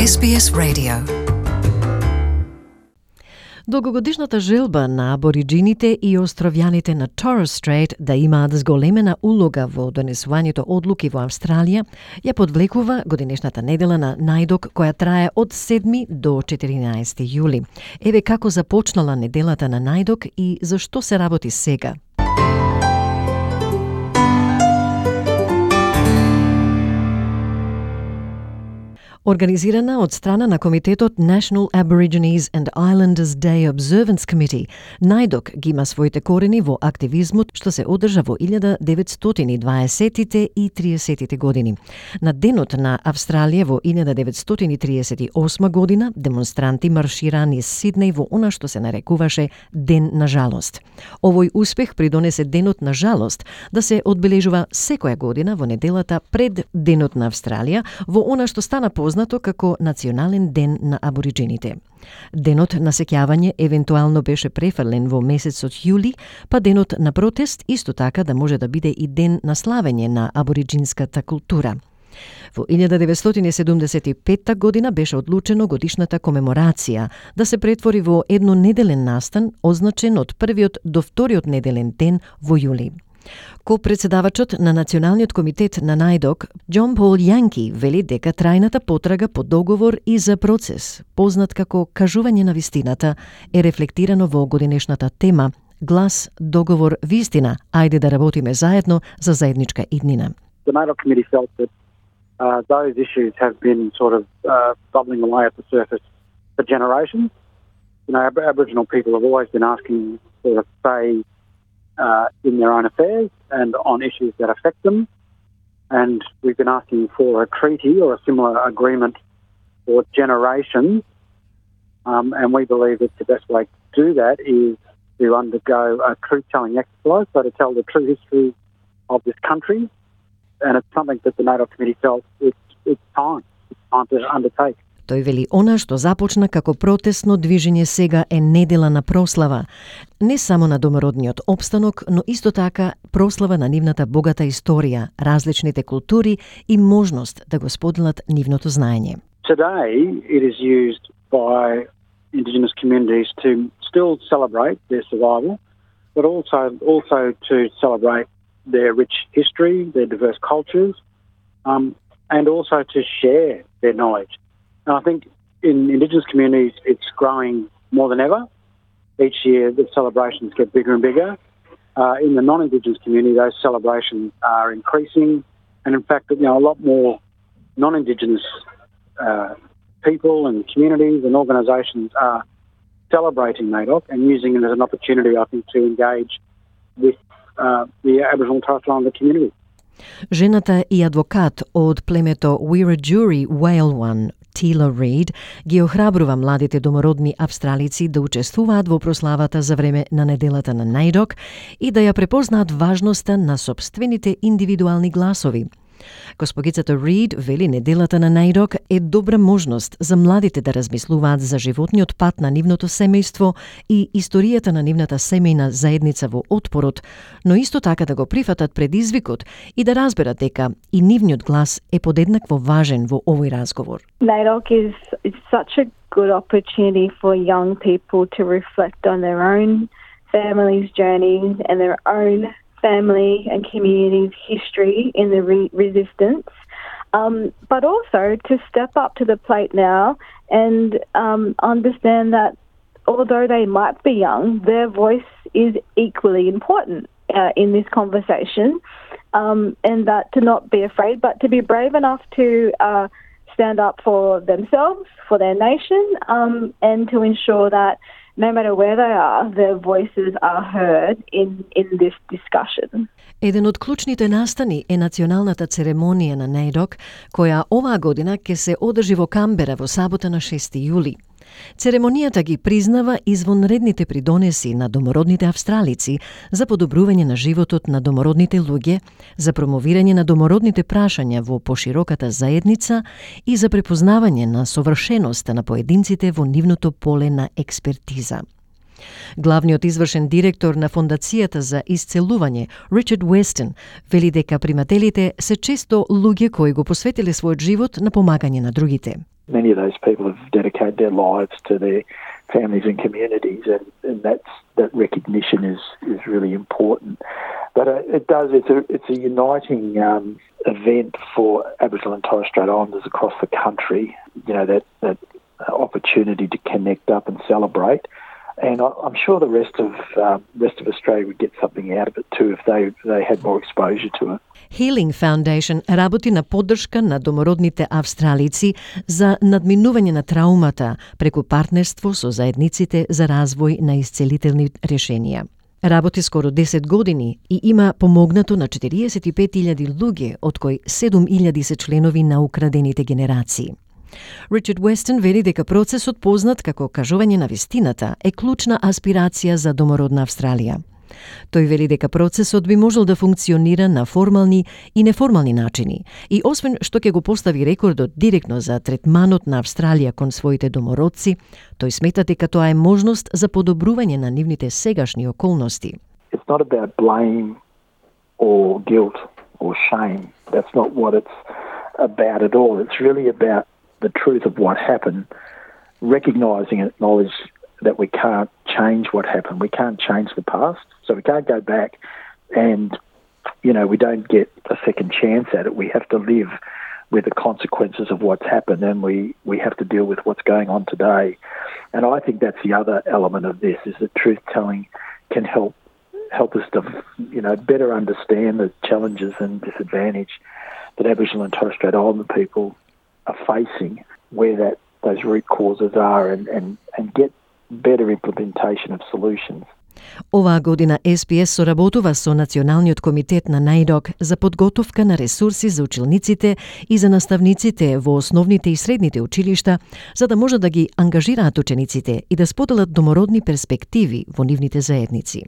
SBS Radio. Долгогодишната желба на абориджините и островјаните на Torres Strait да имаат зголемена улога во донесувањето одлуки во Австралија ја подвлекува годинешната недела на најдок која трае од 7 до 14 јули. Еве како започнала неделата на најдок и зашто се работи сега. Организирана од страна на Комитетот National Aborigines and Islanders Day Observance Committee, најдок ги има своите корени во активизмот што се одржа во 1920-тите и 30-тите години. На денот на Австралија во 1938 година демонстранти маршираа низ Сиднеј во она што се нарекуваше Ден на жалост. Овој успех придонесе Денот на жалост да се одбележува секоја година во неделата пред Денот на Австралија во она што стана познато како Национален ден на абориджините. Денот на сеќавање евентуално беше префрлен во месецот јули, па денот на протест исто така да може да биде и ден на славење на абориджинската култура. Во 1975 година беше одлучено годишната комеморација да се претвори во еднонеделен настан, означен од првиот до вториот неделен ден во јули. Ко-председавачот на Националниот комитет на најдок, Џон Пол Јанки, вели дека трајната потрага по договор и за процес, познат како кажување на вистината, е рефлектирано во годинешната тема Глас, договор, вистина, ајде да работиме заедно за заедничка иднина. The NAIDOC committee felt that those issues have been sort of bubbling away at the surface for generations. You know, Aboriginal people have always been asking for a say in their own affairs and on issues that affect them. And we've been asking for a treaty or a similar agreement for generations. And we believe that the best way to do that is to undergo a truth-telling exercise, so to tell the true history of this country. And it's something that the NAIDOC committee felt it's time to undertake. Тој вели она што започна како протестно движење сега е недела на прослава, не само на домородниот опстанок, но исто така прослава на нивната богата историја, различните култури и можност да го споделат нивното знаење. Today it is used by Indigenous communities to still celebrate their survival, but also to celebrate their rich history, their diverse cultures, and also to share their knowledge. And I think in Indigenous communities, it's growing more than ever. Each year, the celebrations get bigger and bigger. In the non-Indigenous community, those celebrations are increasing. And in fact, a lot more non-Indigenous people and communities and organisations are celebrating NAIDOC and using it as an opportunity, I think, to engage with the Aboriginal and Torres Strait Islander community. Жената и адвокат од племето Wiradjuri Walewan, Тила Рид, ги охрабрува младите домородни австралици да учествуваат во прославата за време на неделата на најдок и да ја препознаат важноста на сопствените индивидуални гласови. Госпогицата Рид вели неделата на најдок е добра можност за младите да размислуваат за животниот пат на нивното семејство и историјата на нивната семејна заедница во отпорот, но исто така да го прифатат предизвикот и да разберат дека и нивниот глас е подеднакво важен во овој разговор. NAIDOC is such a good opportunity for young people to reflect on their own family's journeys and their own family and community's history in the resistance, but also to step up to the plate now and understand that although they might be young, their voice is equally important in this conversation, and that to not be afraid, but to be brave enough to stand up for themselves, for their nation, and to ensure that no matter where they are, their voices are heard in this discussion. Еден од клучните настани е националната церемонија на најдок, која оваа година ќе се одржи во Камбера во сабота на 6 јули. Церемонијата ги признава извонредните придонеси на домородните австралици за подобрување на животот на домородните луѓе, за промовирање на домородните прашања во пошироката заедница и за препознавање на совршеноста на поединците во нивното поле на експертиза. Главниот извршен директор на Фондацијата за исцелување, Ричард Уестон, veli дека примателите се често луѓе кои го посветиле својот живот на помагање на другите. Many of those people have dedicated their lives to their families and communities, and that recognition is really important. But it's a uniting event for Aboriginal and Torres Strait Islanders across the country. You know, that opportunity to connect up and celebrate. And I'm sure the rest of Australia would get something out of it too if they had more exposure to it. Healing Foundation работи на поддршка на домородните австралици за надминување на траумата преку партнерство со заедниците за развој на исцелителни решенија. Работи скоро 10 години и има помогнато на 45,000 луѓе, од кои 7,000 се членови на украдените генерации. Ричард Уестон вели дека процесот познат како кажување на вистината е клучна аспирација за домородна Австралија. Тој вели дека процесот би можел да функционира на формални и неформални начини и освен што ќе го постави рекордот директно за третманот на Австралија кон своите домородци, тој смета дека тоа е можност за подобрување на нивните сегашни околности. It's not about blame or guilt or shame. That's not what it's about at all. It's really about the truth of what happened, recognising and acknowledge that we can't change what happened. We can't change the past, so we can't go back and, you know, we don't get a second chance at it. We have to live with the consequences of what's happened, and we have to deal with what's going on today. And I think that's the other element of this, is that truth-telling can help us to, you know, better understand the challenges and disadvantage that Aboriginal and Torres Strait Islander people are facing, where those root causes are, and get better implementation of solutions. Оваа година SPS соработува со Националниот комитет на NAIDOC за подготовка на ресурси за училниците и за наставниците во основните и средните училишта, за да може да ги ангажираат учениците и да споделат домородни перспективи во нивните заедници.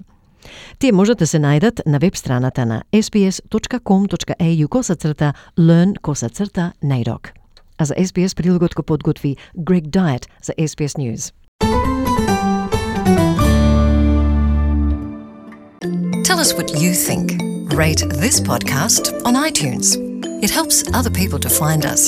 Тие можат да се најдат на веб страната на sps.com.au/learn/NAIDOC. А за SPS прилогот го подготви Greg Diet за SPS News. Tell us what you think. Rate this podcast on iTunes. It helps other people to find us.